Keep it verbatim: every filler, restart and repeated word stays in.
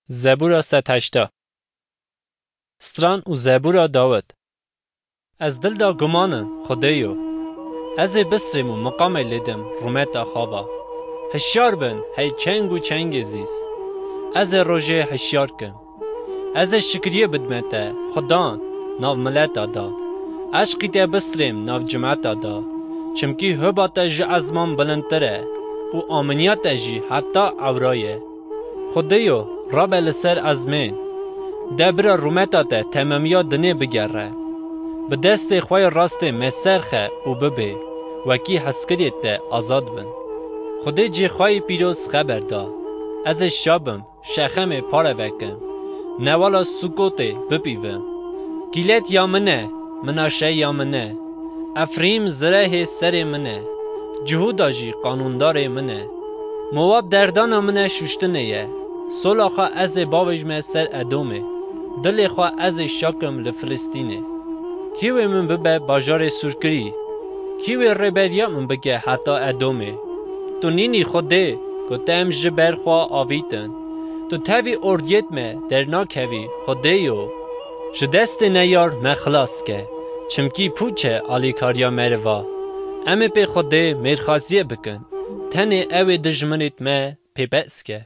Zebûra sed heşta. Stran û zebûra Dawid. Ez dil da guman im, Xwedêyo. Ez ê bistrêm û miqamê lêdim rûmeta xwe va. Hişyar bin, hey çeng û çengê zîz. Ez ê rojê hişyar kim. Ez ê şikriyê bidme te, Xudan, nav mileta da. Eşqî te bistrêm nav cimeta da. Çimkî hoba te ji ezman bilindtir e û aminiya te jî heta ewra ye. Xwedêyo, rabe li ser ezmên. De bira rûmeta te temamiya dinê bigere. Bi destê xwe yê rastê me serxe û bibê, wekî hezkiriyê te azad bin. Xwedê cê xwe yê pîroz xeber da. Ez ê şa bim, Şexemê pare vekim. Newala Sukotê bipîvim. Gîlet ya min e, Minaşe ya min e. Efrîm zirehê serê min e. Cihûda jî qanûndarê min e. Mowab derdana min e şûştinê ye. Sola xwe ez ê bavêjme ser Edomê. Dilê xwe ez ê şakim li Filistînê. Kî wê min bibe bajarê sûrkirî? Kî wê rêberiya min bike heta Edomê? Tu nînî Xwedê, ku te em ji ber xwe avîtin. Tu tevî ordiyêt me dernakevî, Xwedêyo. Ji destê neyar me xilas ke, çimkî pûç e alîkariya meriva. Em ê pê Xwedê mêrxasiyê bikin. Tenê ew ê dijminêt me pê behs ke.